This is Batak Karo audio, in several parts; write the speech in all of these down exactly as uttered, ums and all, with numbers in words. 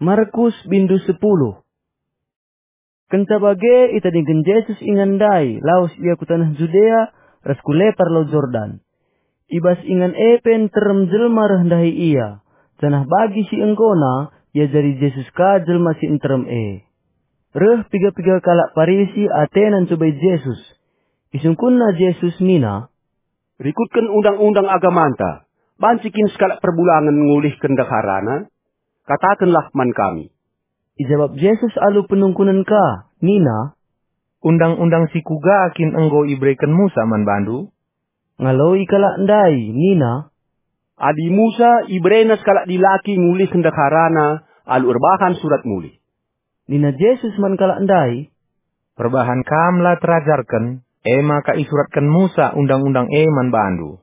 Markus bindu sepuluh. Kenca bage itadingken Jesus ingan ndai lawes ia ku taneh Judea ras ku lepar Lau Jordan. I bas ingan e pe nterem jelma reh ndahi ia, janah bagi si enggona iajari Jesus ka jelma si nterem e. Reh piga-piga kalak Parisi atena ncubai Jesus. Isungkunna Jesus nina, "Rikutken undang-undang agamanta, banci kin sekalak perbulangen ngulihken ndeharana? Katakenlah man kami." Ijabap Jesus alu penungkunen ka, nina, "Undang-undang si kuga kin enggo ibereken Musa man bandu?" Ngaloi kalak ndai nina, "Adi Musa iberena sekalak dilaki ngulihken ndeharana alu erbahan surat mulih." Nina Jesus man kalak ndai, "Perbahan kam la terajarken, e maka isuratken Musa undang-undang e man bandu.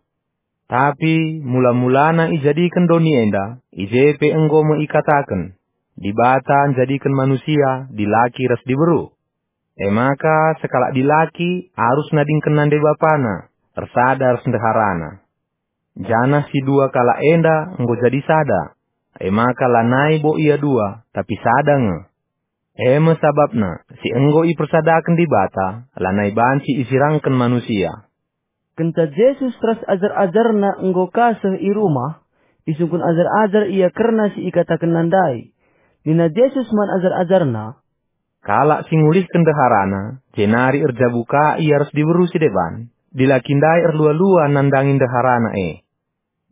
Tapi mula-mulana ijadiken doni enda, i je pe enggo me ikataken, Dibata njadiken manusia dilaki ras diberu. E maka sekalak dilaki arus nadingken nande bapana, ersada ras ndeharana. Janah si dua kalak enda enggo jadi sada, e maka lanai bo ia dua, tapi sada nge. E me sabapna si enggo ipersadaken Dibata lanai banci isirangken manusia." Kenca Jesus ras ajar-ajarNa enggo ka seh i rumah, isungkun ajar-ajar ia kerna si ikatakenNa ndai. Nina Jesus man ajar-ajarNa, "Kalak si ngulihken ndeharana, jenari erjabu ka ia ras diberu si deban, dilaki ndai erlua-lua nandangi ndeharana e.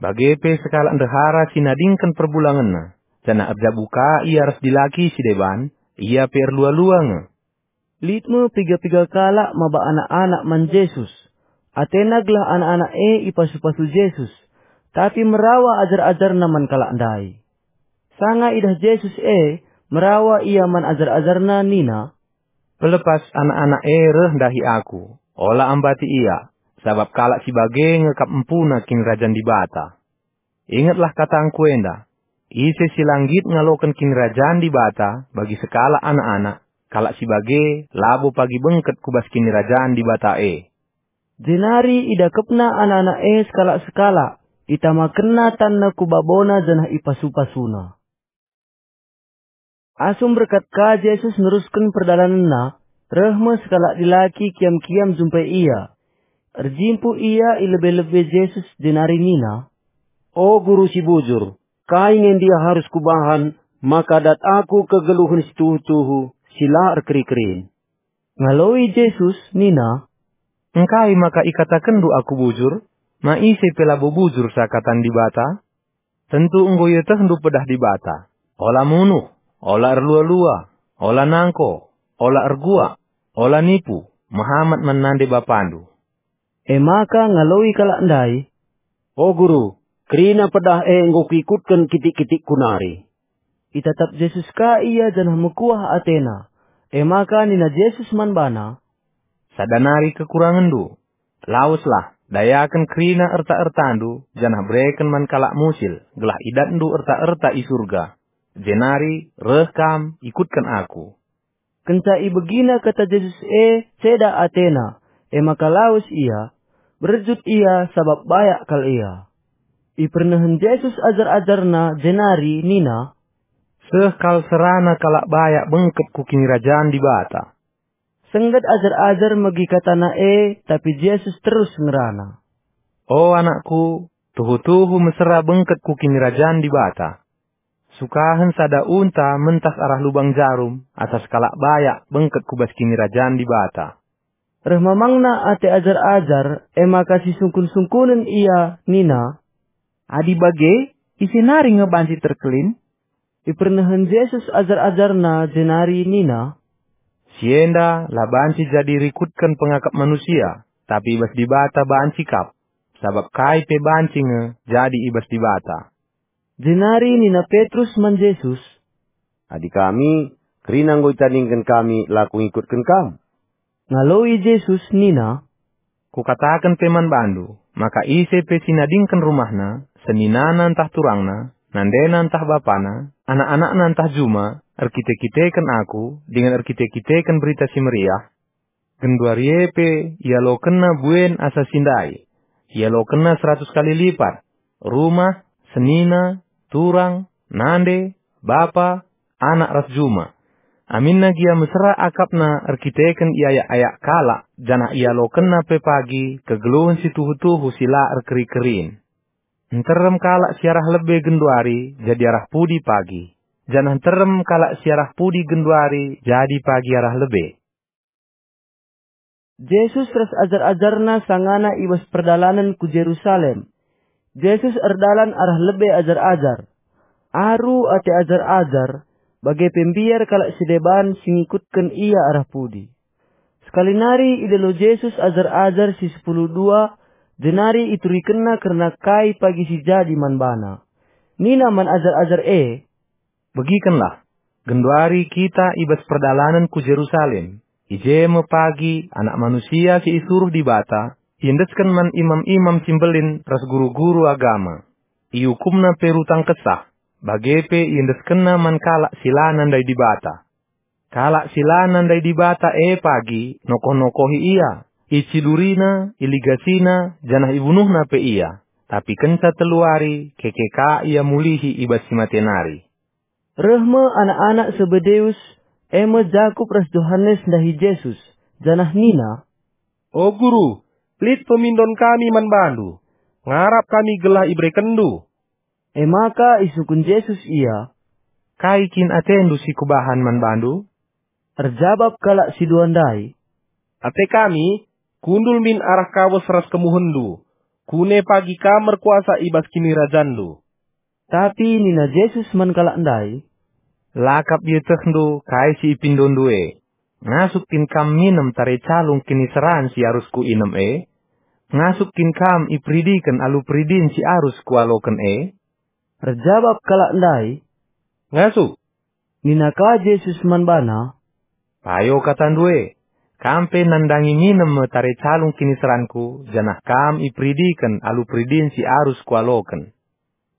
Bage pe sekalak ndehara si nadingken perbulangenna, janah erjabu ka ia ras dilaki si deban, ia pe erlua-lua nge." Lit me piga-piga kalak maba anak-anak man Jesus. Atena gelah anak-anak e ipasu-pasu Jesus, tapi merawa ajar-ajarNa man kalak ndai. Sanga idah Jesus e, merawa ia man ajar-ajarNa nina, "Pelepas anak-anak e reh ndahi Aku, ola ambati ia, sabap kalak si bage nge kap empuna Kinirajan Dibata. Ingetlah katangKu enda, ise si la nggit ngaloken Kinirajan Dibata bagi sekalak anak-anak, kalak si bage labo pagi bengket ku bas Kinirajan Dibata e." Jenari idakepna anak-anak e sekalak-sekalak, itamakenna tanna ku babona janah ipasu-pasuna. Asum berkat ka Jesus nerusken perdalanenNa, reh me sekalak dilaki kiam-kiam jumpai Ia. Erjimpuh ia i lebe-lebe Jesus jenari nina, "O Guru si bujur, kai nge ndia arus kubahan maka dat aku kegeluhen si tuhu-tuhu, si la erkeri-kerin?" Ngaloi Jesus nina, "Engkai maka ikatakenndu Aku bujur? Ma ise pe labo bujur seakatan Dibata? Tentu enggo ietehndu pedah Dibata, ola munuh, ola erlua-lua, ola nangko, ola erguak, ola nipu, mehamat man nande bapandu." E maka ngaloi kalak ndai, "O Guru, kerina pedah e enggo kuikutken kitik-kitikku nari." Itatap Jesus ka ia janah mekuah atena. E maka nina Jesus man bana, "Sada nari kekurangenndu. Laweslah, dayaken kerina erta-ertandu janah bereken man kalak musil, gelah idatndu erta-erta i Surga. Jenari reh kam ikutken Aku." Kenca ibegina kata Jesus e, ceda atena, e maka lawes ia, berjut ia sabap bayak kal ia. Ipernehen Jesus ajar-ajarNa jenari nina, "Seh kal serana kalak bayak bengket ku Kinirajan Dibata." Sengget ajar-ajar megi kataNa e, tapi Jesus terus ngerana, "O anakku, tuhu-tuhu mesera bengket ku Kinirajan Dibata. Sukahen sada unta mentas arah lubang jarum, asa sekalak bayak bengket ku bas Kinirajan Dibata." Reh mamangna ate ajar-ajar, e maka sisungkun-sungkunen ia nina, "Adi bage, ise nari nge banci terkelin?" Ipernehen Jesus ajar-ajarNa jenari nina, "Si enda la banci jadi rikutken pengakap manusia, tapi i bas Dibata banci kap, sabap kai pe banci nge jadi i bas Dibata." Jenari nina Petrus man Jesus, "Adi kami, kerina enggo itadingken kami la kungikutken Kam." Ngaloi Jesus nina, "Kukataken pe man bandu, maka ise pe si nadingken rumahna, seninana ntah turangna, nandena ntah bapana, anak-anakna ntah juma, erkite-kiteken Aku, dingen erkite-kiteken Berita Si Meriah, genduari e pe ialokenna buen asa si ndai, ialokenna seratus kali lipat, rumah, senina, turang, nande, bapa, anak ras juma. Aminna gia mesera akapna erkiteken iayak-ayak kalak, janah ialokenna pe pagi kegeluhen si tuhu-tuhu si la erkeri-kerin. Nterem kalak si arah lebe genduari jadi arah pudi pagi, janah nterem kalak si arah pudi genduari jadi pagi arah lebe. Jesus ras ajar-ajarNa sangana i bas perdalanen ku Jerusalem. Jesus erdalan arah lebe ajar-ajar. Aru ate ajar-ajar, bage pe mbiar kalak si deban si ngikutken IA arah pudi. Sekali nari idilo Jesus ajar-ajar si sepuluh dua, jenari iturikenNa kerna kai pagi si jadi man baNa. Nina man ajar-ajar e, "Begikenlah, genduari kita i bas perdalanen ku Jerusalem. I je me pagi Anak Manusia si isuruh Dibata iendesken man imam-imam si mbelin ras guru-guru agama. IukumNa pe rutang kesah, bage pe iendeskenNa man kalak si la nandai Dibata. Kalak si la nandai Dibata e pagi nokoh-nokohi IA, iciduriNa, iligasina, janah ibunuhNa pe IA. Tapi kenca telu wari keke ka IA mulihi i bas si mate nari." Reh me anak-anak Sebedeus, e me Jakup ras Johanes ndahi Jesus, janah nina, "O Guru, lit pemindon kami man baNdu. Ngarap kami gelah iberekenNdu." E maka isungkun Jesus ia, "Kai kin atendu si kubahan man bandu?" Erjabap kalak si dua ndai, "Ate kami, kundul min arah kawes ras kemuhenNdu. Kune pagi Kam merkuasa i bas kinirajanNdu." Tapi nina Jesus man kalak ndai, "La kap ietehndu kai si ipindondu e. Ngasup kin kam minem tare calung kiniseran si arus kuinem e? Ngasup kin kam iperidiken alu peridin si arus kualoken e?" Erjabap kalak ndai, "Ngasup." Nina ka Jesus man bana, "Payo katandu e, kam pe nandangi minem me tare calung kiniseranKu, janah kam iperidiken alu peridin si arus kualoken.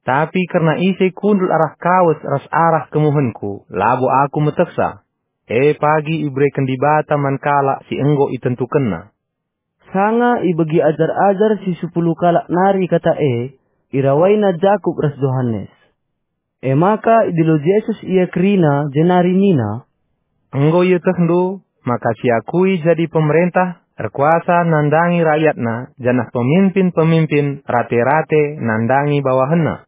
Tapi kerna ise kundul arah kawes ras arah kemuhenKu, labo Aku metehsa. E pagi ibereken Dibata man kalak si enggo itentukenNa." Sanga ibegi ajar-ajar si sepuluh kalak nari kata e, irawaina Jakup ras Johanes. E maka idilo Jesus ia kerina, jenari nina, "Enggo ietehndu maka si akui jadi pemerentah erkuasa nandangi rakyatna, janah pemimpin-pemimpin rate-rate nandangi bawahenna.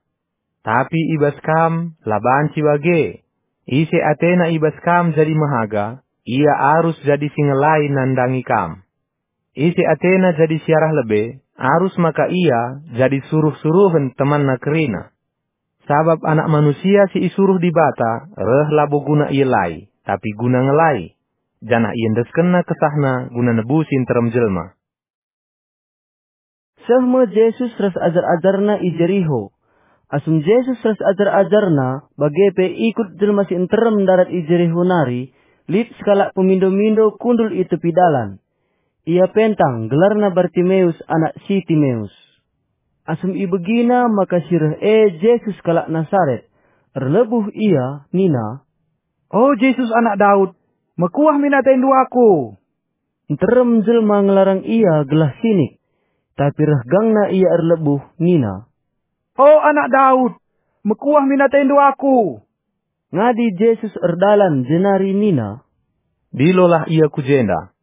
Tapi i bas kam la banci bage. Ise atena i bas kam jadi mehaga, ia arus jadi si ngelai nandangi kam. Ise atena jadi si arah lebe, arus maka ia jadi suruh-suruhen temanna kerina. Sabap Anak Manusia si isuruh Dibata reh labo guna ielai, tapi guna ngelai, janah iendeskenNa kesahNa guna nebusi nterem jelma." Seh me Jesus ras ajar-ajarNa i Jeriho. Asum Jesus ras ajar-ajarNa, bage pe ikut jelma si nterem ndarat i Jeriho nari, lit sekalak pemindo-mindo kundul i tepi dalan. Ia pentang, gelarna Bartimeus, anak si Timeus. Asum ibegina maka si reh e Jesus kalak Nasaret, erlebuh ia, nina, "O Jesus, Anak Daud, mekuah min atendu aku!" Nterem jelma ngelarang ia gelah sinik, tapi reh gangna ia erlebuh, nina, "O Anak Daud, mekuah min atendu aku!" Ngadi Jesus erdalan jenari nina, "Dilolah ia ku jenda."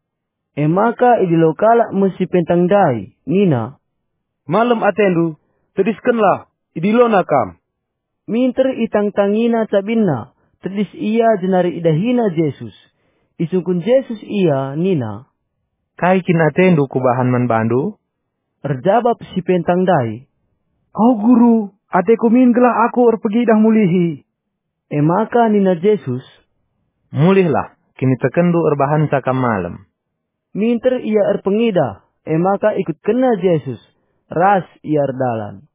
E maka idilo kalak me si pentang ndai, nina, "Malem atendu, tediskenlah, idilona kam." Minter itangtangina cabinna, tedis ia jenari idahina Jesus. Isungkun Jesus ia nina, "Kai kin atendu kubahan man bandu?" Erjabap si pentang ndai, "O Guru, ateku min gelah aku erpegidah mulihi." E maka nina Jesus, "Mulihlah, kinitekenndu erbahanca kam malem." Minter ia erpengidah, e maka ikutkenna Jesus, ras ia erdalan.